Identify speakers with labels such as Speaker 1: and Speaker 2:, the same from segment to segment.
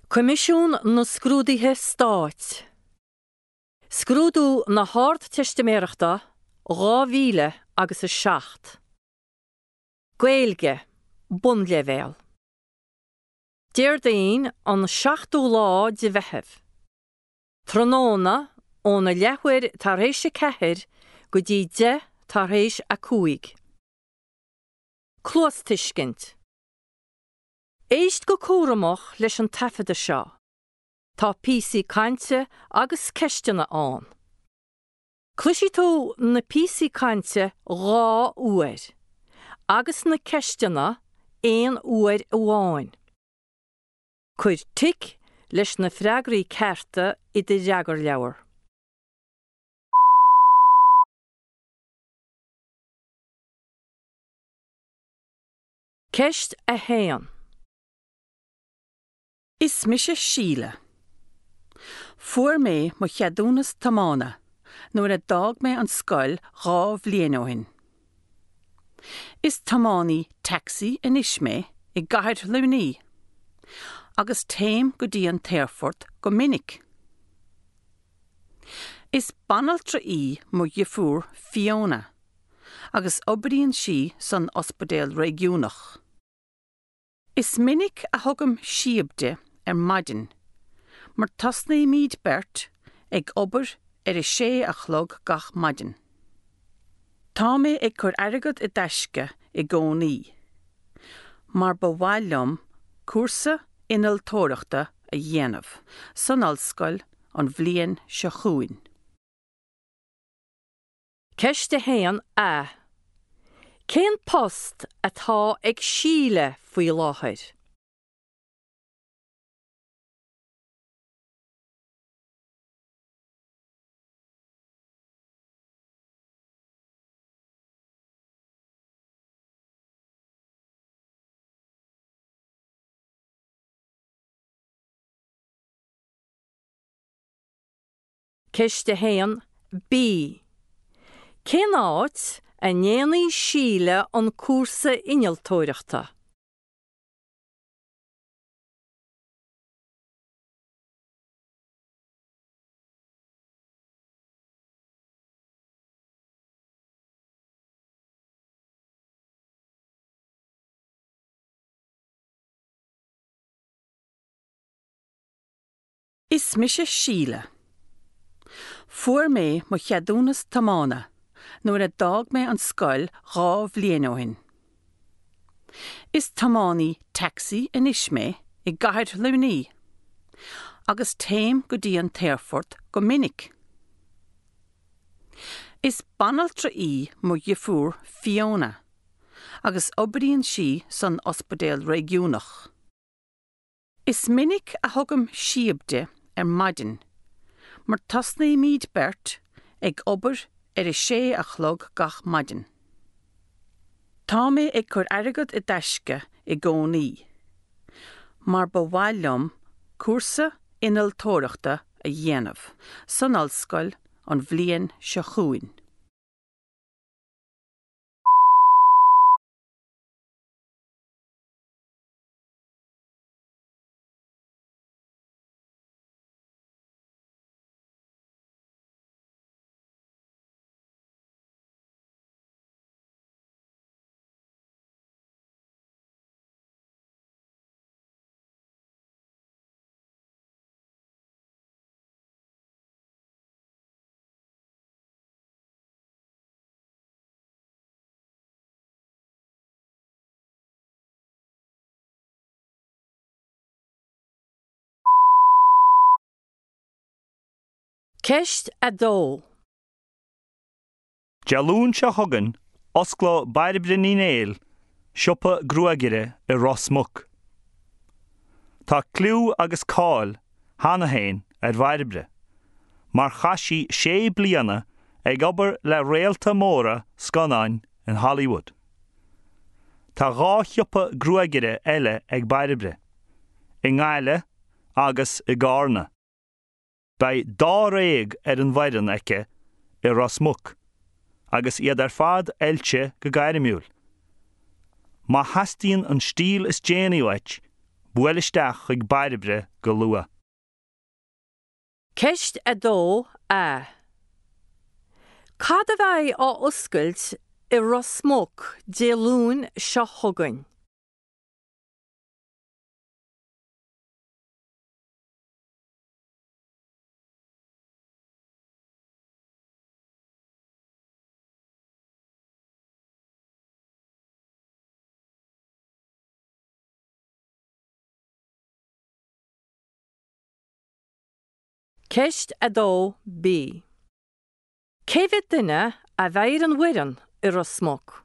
Speaker 1: Coimisiún na Scrúduithe Stáit. Scrúdú na hArdteistiméireachta 2000 agus 7. Gaeilge, Bunleibhéal. Déardaoin an 7ú lá de Mheitheamh. Tráthnóna óna leathuair tar éis a 4 go dtí 10 tar éis a 5. Cluastuiscint. Éist go cúramach leis an taifeadadh seo. Tá píosaí cainte agus ceisteanna ann. Cloisfidh tú na píosaí cainte 2 uair agus na ceisteanna aon uair amháin. Cuir tic leis na freagraí cearta i do fhreagarleabhar. Ceist 1.
Speaker 2: Is mise Síle. Fuair mé mo cheadúnas tiomána nuair a d'fhág mé an scoil 2 bhliain ó shin. Is tiománaí tacsaí anois mé i gcathair Luimnigh agus téim go dtí an t-aerfort go minic. Is banaltra í mo dheirfiúr Fiona. agus oibríonn sí san ospidéal réigiúnach. Is minic a thugaim síob di ar maidin mar tosnaímid beirt ag obair ar a sé a chlog gach maidin. Tá mé ag cur airgead i dtaisce i gcónaí mar ba mhaith liom cúrsa innealtóireachta a dhéanamh san ollscoil an bhliain seo chugainn.
Speaker 1: Ceist 1 A. Cén post atá ag Síle faoi láthair? Ceist 1 B. Cén áit a ndéanfaidh Síle an cúrsa innealtóireachta?
Speaker 2: Is mise Síle. Fuair mé mo cheadúnas tiomána nuair a d'fhág mé an scoil 2 bhliain ó shin. Is tiománaí tacsaí anois mé i gcathair Luimnigh agus téim go dtí an t-aerfort go minic. Is banaltra í mo dheirfiúr Fiona agus oibríonn sí san ospidéal réigiúnach. Is minic a thugaim síob di ar maidin mar tosnaímid beirt ag obair ar a sé a chlog gach maidin. Tá mé ag cur airgead i dtaisce i gcónaí mar ba mhaith liom cúrsa innealtóireachta a dhéanamh san ollscoil an bhliain seo chugainn.
Speaker 1: Ceist 2.
Speaker 3: Dé Luain seo chugainn, osclóidh Bairbre Ní Néill siopa gruagaire i Ros Muc. Tá cliú agus cáil cheana féin ar Bhairbre, mar chaith sí sé bliana ag obair le réalta móra scannáin in Hollywood. Tá 2 shiopa gruagaire eile ag Bairbre, i nGaillimh agus i gCarna. Beidh dáréag ar an bhfoireann aici i Ros Muc agus iad ar fad oilte go gairmiúil. Má theastaíonn an stíl is déanaí uait, buail isteach chuig Bairbre go luath.
Speaker 1: Ceist 2 A. Cad a bheidh á oscailt i Ros Muc Dé Luain seo chugainn? Ceist 2 B. Cé mhéad duine a bheidh ar an bhfoireann i Ros Muc?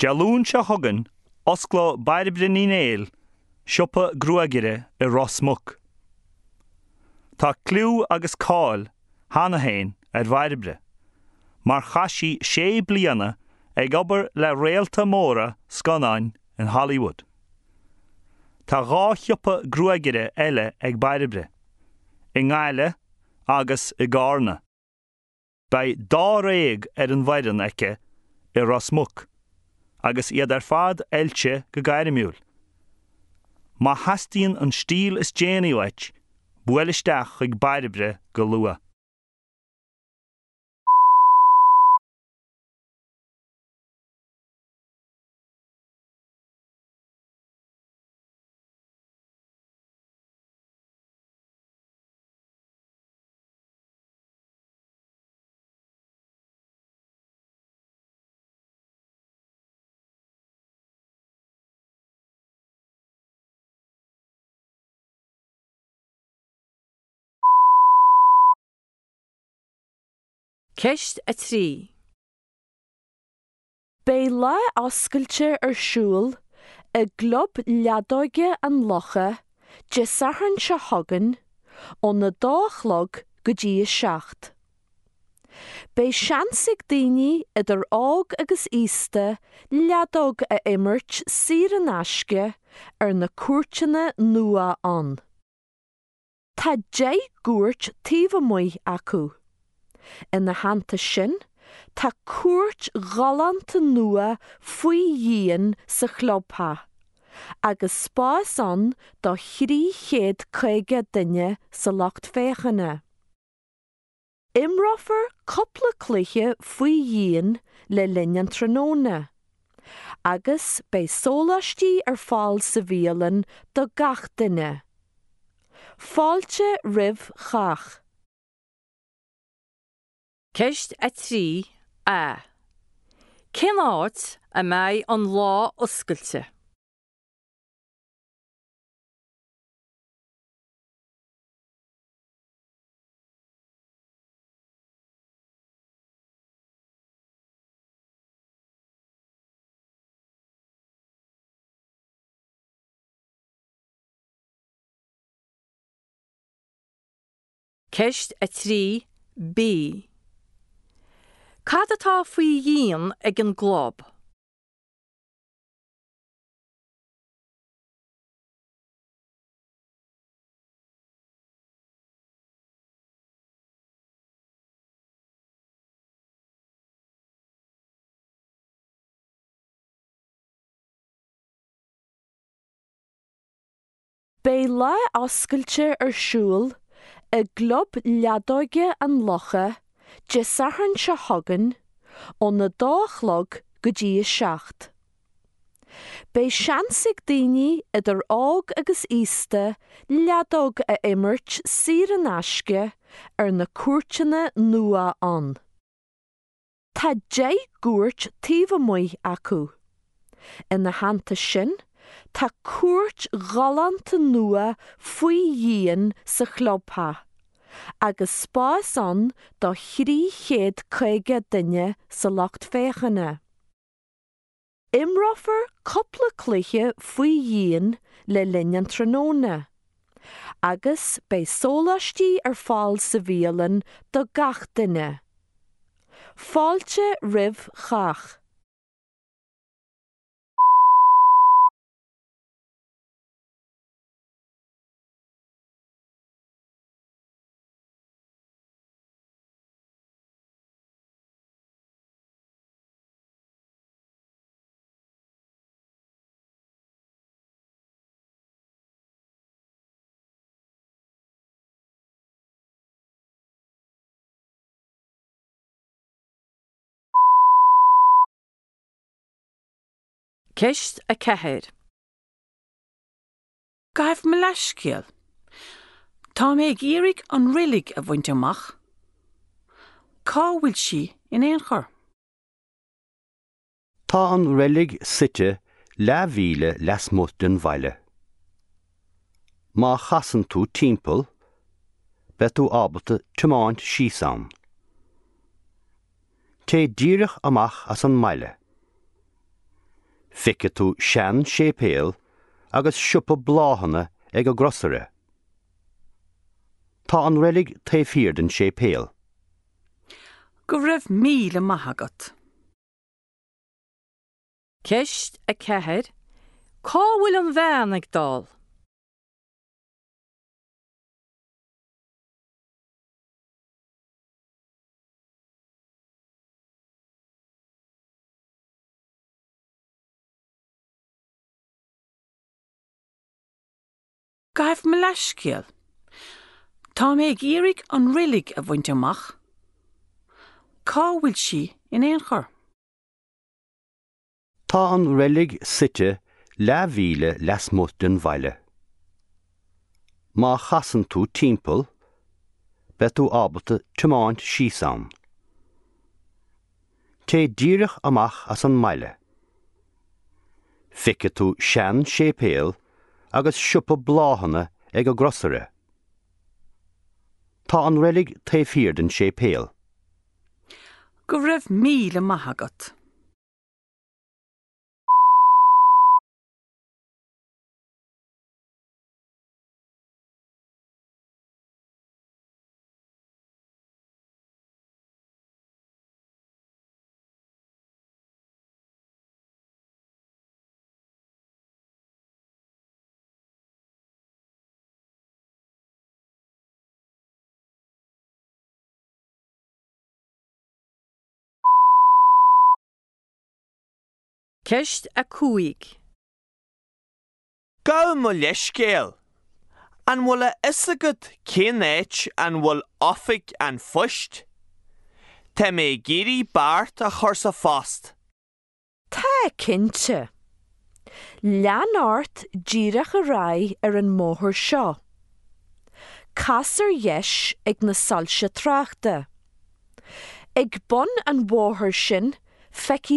Speaker 3: Dé Luain seo chugainn, osclóidh Bairbre Ní Néill siopa gruagaire i Ros Muc. Tá cliú agus cáil cheana féin ar Bhairbre, mar chaith sí sé bliana ag obair le réalta móra scannáin in Hollywood. Tá 2 shiopa gruagaire eile ag Bairbre, i nGaillimh agus i gCarna. Beidh dáréag ar an bhfoireann aici i Ros Muc agus iad ar fad oilte go gairmiúil. Má theastaíonn an stíl is déanaí uait, buail isteach chuig Bairbre go luath.
Speaker 1: Ceist 3.
Speaker 4: Beidh lá oscailte ar siúl i gClub Leadóige an Locha Dé Sathairn seo chugainn óna dó a chlog go dtí a 7. Beidh seans ag daoine idir óg agus aosta leadóg a imirt saor in aisce ar na cúirteanna nua ann. Tá 10 gcúirt taobh amuigh acu. Ina theannta sin, tá cúirt ghalánta nua faoi dhíon sa chlubtheach, agus spás ann do 350 duine sa lucht féachana. Imreofar cúpla cluiche faoi dhíon le linn an tráthnóna, agus beidh sóláistí ar fáil sa bhialann do gach duine. Fáilte roimh chách.
Speaker 1: Ceist 3 A. Cén áit a mbeidh an lá oscailte? Ceist 3 B. Cad atá faoi dhíon ag an gclub?
Speaker 4: Beidh lá oscailte ar siúl i gClub Leadóige an Locha Dé Sathairn seo chugainn óna dó a chlog go dtí a 7. Beidh seans ag daoine idir óg agus aosta leadóg a imirt saor in aisce ar na cúirteanna nua ann. Tá 10 gcúirt taobh amuigh acu. Ina theannta sin, tá cúirt ghalánta nua faoi dhíon sa chlubtheach, agus spás ann do 350 duine sa lucht féachana. Imreofar cúpla cluiche faoi dhíon le linn an tráthnóna, agus beidh sóláistí ar fáil sa bhialann do gach duine. Fáilte roimh chách.
Speaker 1: Ceist 4.
Speaker 2: Gabh mo leithscéal. Tá mé ag iarraidh an reilig a bhaint amach. Cá bhfuil sí in aon chor?
Speaker 5: Tá an reilig suite leathmhíle lasmuigh den bhaile. Má chasann tú timpeall, beidh tú ábalta tiomáint síos ann. Téigh díreach amach as an mbaile. Feicfidh tú sean-séipéal agus siopa bláthanna ag an gcrosaire. Tá an reilig taobh thiar den séipéal.
Speaker 2: Go raibh míle maith agat.
Speaker 1: Ceist 4, Cá bhfuil an bhean ag dul?
Speaker 2: Gabh mo leithscéal. Tá mé ag iarraidh an reilig a bhaint amach. Cá bhfuil sí in aon chor?
Speaker 5: Tá an reilig suite leathmhíle lasmuigh den bhaile. Má chasann tú timpeall, beidh tú ábalta tiomáint síos ann. Téigh díreach amach as an mbaile. Feicfidh tú sean-séipéal agus siopa bláthanna ag an gcrosaire. Tá an reilig taobh thiar den séipéal.
Speaker 2: Go raibh míle maith agat.
Speaker 1: Ceist 5.
Speaker 6: Gabh mo leithscéal. An bhfuil a fhios agat cén áit an bhfuil oifig an phoist? Tá mé ag iarraidh beart a chur sa phost.
Speaker 4: Tá, cinnte. Lean ort díreach ar aghaidh ar an mbóthar seo. Cas ar dheis ag na soilse tráchta. Ag bun an bhóthair sin feicfidh.